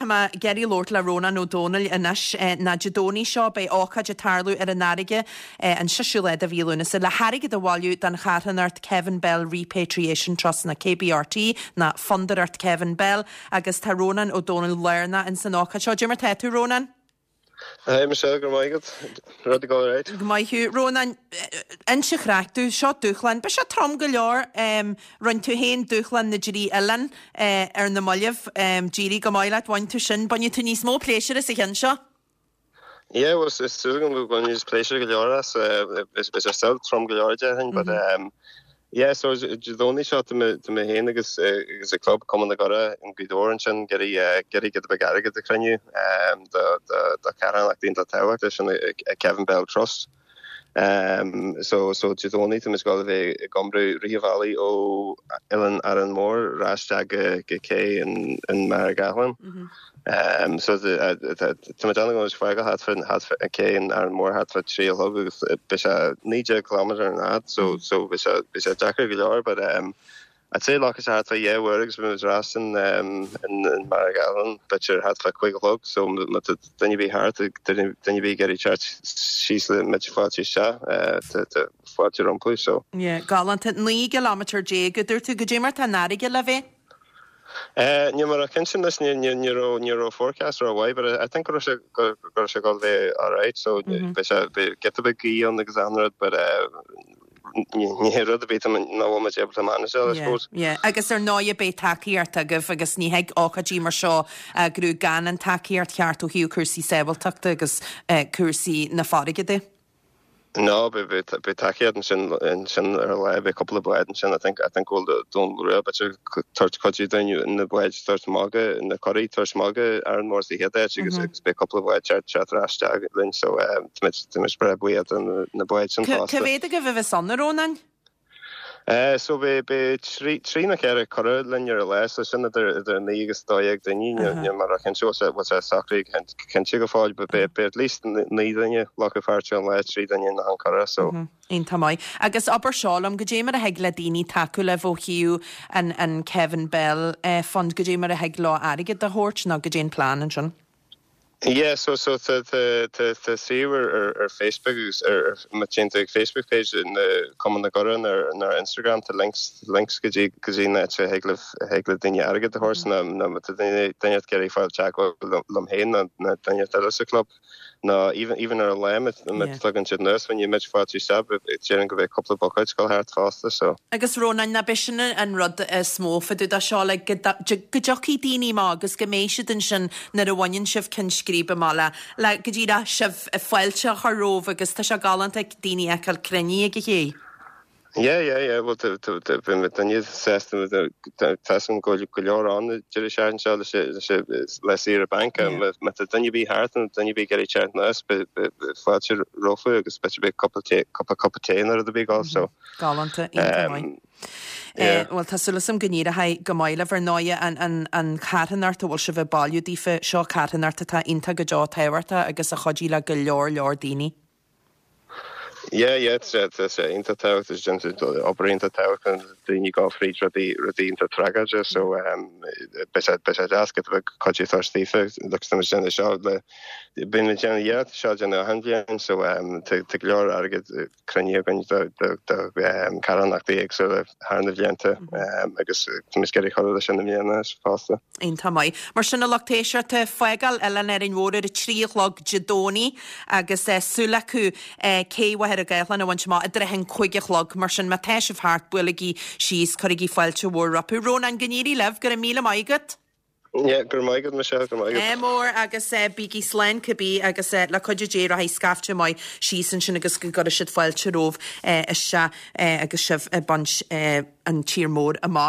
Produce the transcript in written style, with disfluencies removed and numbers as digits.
mé ag iarraidh labhairt le Rónán Ó Domhnaill anois ná Dé Domhnaigh seo beidh ócáid ag tarlú ar an fharraige an 6ú lá de mhí Lúnasa le hairgead a bhailiú don charthanacht Kevin Bell Repatriation Trust nó KBRT nó Fondúireacht Kevin Bell agus tá Rónán Ó Domhnaill lárnach ins an ócáid seo. Cad é mar tá tú Rónán? Hi Michelle, go raibh maith agat. Rudaí ag dul ar aghaidh. Go maith thú. Rónán, inis an chraic domh, seo dúshlán, beidh sé trom go leor, rinne tú féin dúshlán na dtrí oileán ar na mallaibh, d'éirigh go maith leat, bhain tú sin, bainfidh tú níos mó pléisiúir as an cheann seo. Yeah, well, is súil agam go mbainfidh níos pléisiúir go leor as, beidh sé still trom go leor déarfainn, but Yeah, so Dé Domhnaigh seo tá mé tá mé féin agus agus an club Cumann na gCuradh in Gaoth Dobhair ansin ag iarraidh ag iarraidh giota beag airgead a chruinniú do do do charthanacht iontach tábhachtach sin an Kevin Bell Trust. So so Dé Domhnaigh tá muid ag dul a bheith ag iompar rith an bhealaigh ó Oileán Árainn Mhór ar ais isteach go go cé in in Machaire Gathlán. So tá mé ag déanamh go bhfuil fágáil thart fá thart fá cé in Árainn Mhór thart fá 3 a chlog agus beidh sé 19 kilometre an fhad so so beidh sé beidh sé deacair go leor but um, I'd say glacfaidh sé thart fá dhá uair agus beidh muid ar ais in um, in in Machaire Gathlán b'fhéidir thart fá 5 a chlog so má tá duine ar bith thart duine duine ar bith ag iarraidh teacht síos le muid fáilte isteach eh, tá tá fáilte rompu so. Yeah, galánta. 19 gcileámeter a dúirt tú, goidé mar tá an fharraige le bheith? Níl mé ró-chinnte anois, ní raibh ní raibh forecast ró-mhaith but I think go raibh sé go raibh sé ag dul bheith alright so beidh sé beidh giota beag gaoth ann agus achan rud but ní ní hé rud ar bith nach bhfuil muid able to manage I suppose. Yeah, yeah. Agus ar ndóighe beidh tacaíocht agaibh agus ní thig ócáidí mar seo a eagrú gan an tacaíocht cheart ó thaobh cúrsaí sábháilteachta agus cúrsaí na farraige de. No, beidh tacaíocht ansin ansin ar an lá, beidh cúpla bád ansin, I think, I think go bhfuil Dún Rua b'fhéidir ag tabhairt cuidiú dúinn na báid a thabhairt amach go, na curaí a thabhairt amach go Árainn Mhór sa chéad áit agus agus beidh cúpla bád teacht teacht ar ais isteach linn so táimid táimid breá buíoch do na báid sin fosta. Cá mhéad agaibh a bheas ann, a Rónáin? So beidh beidh 3 nó 4 curadh linn ar an lá, so sin idir idir 9 agus 12 duine, níl mé ró-chinnte bhfuil sé bhfuil sé socraithe go cinnte go fóill, but beidh beidh at least 9 duine glacadh páirt ar an lá, 3 duine in achan curadh, so. Iontach maith. Agus abair seo liom, goidé mar a thig le daoine tacú libh ó thaobh an an Kevin Bell Fund, goidé mar a thig leo airgead a thabhairt nó goidé an plean ansin? Yeah so so tá tá tá tá suíomh ar ar ar Facebook agus ar ar má téann tú ag Facebook page na Cumann na gCuradh nó ar nó ar Instagram tá links links go dtí go dtí an áit a thig libh a thig le daoine airgead a thabhairt nó nó má tá duine duine ag iarraidh fáil teagmháil liom liom féin nó nó duine eile sa club nó even even ar an lá má má tagann siad anuas coinneoidh muid fáilte isteach déarfainn go mbeidh cúpla buicéad ag dul thart fosta so. Agus Rónán, ná b'é sin an rud is mó fá dtaobh de seo, like, go dtiocfaidh daoine amach agus go mbeidh siad ansin nuair a bhaineann sibh ceann scríbe amach le, le go díreach sibh fáilte a chur romhaibh agus tá sé galánta daoine a fheiceáil cruinnithe ag an ché. Yeah, yeah, yeah, bhuel tá, tá, tá, bhí mé duine sásta, tá fhios agam go bhfuil go leor ann an deireadh seachtaine seo leis, leis, le saoire bainc, má tá duine ar bith thart nó duine ar bith ag iarraidh teacht anuas, beidh fáilte rompu agus b'fhéidir beidh cúpla tae, cúpla cupa tae nó rud ar bith ag dul, so. Galánta, iontach maith. Bhuel, tá súil agam go n-éireoidh go maith libh. Ar ndóighe, an charthanacht a bhfuil sibh ag bailiú daofa, seo carthanacht atá iontach go deo tábhachtach agus a chuidigh le go leor leor daoine. Yeah, yeah, tá sé iontach tábhachtach, déantar obair iontach tábhachtach, daoine ag gabháil fríd rudaí, rudaí iontach tragóideach, so beidh sé, beidh sé deas giota beag cuidiú a thabhairt daofa, look, tá muid ag déanamh seo le, bíonn muid ag déanamh iarracht seo a dhéanamh achan bhliain, so tá go leor airgead cruinnithe againn do carthanachtaí éagsúla thar na bhlianta agus tá muid ag iarraidh cur leis sin i mbliana fosta. Iontach maith. Mar sin a lucht éisteachta, fágáil Oileán Árainn Mhór ar a 3 a chlog Dé Domhnaigh agus súil acu cé Mhachaire Gathlán a bhaint amach i dtrátha an 5 a chlog. Mar sin má tá sibh thart, buailigí síos, cuirigí fáilte mhór rompu. Rónán, go n-éirí libh, go raibh míle maith agat. Yeah, go raibh maith agat, Michelle, go raibh maith agat. Ádh mór agus bígí slán cibé agus le cuidiú Dé rachaidh scaifte maith síos ansin agus go gcuirfidh siad fáilte romhaibh isteach agus sibh ag baint an tír mór amach.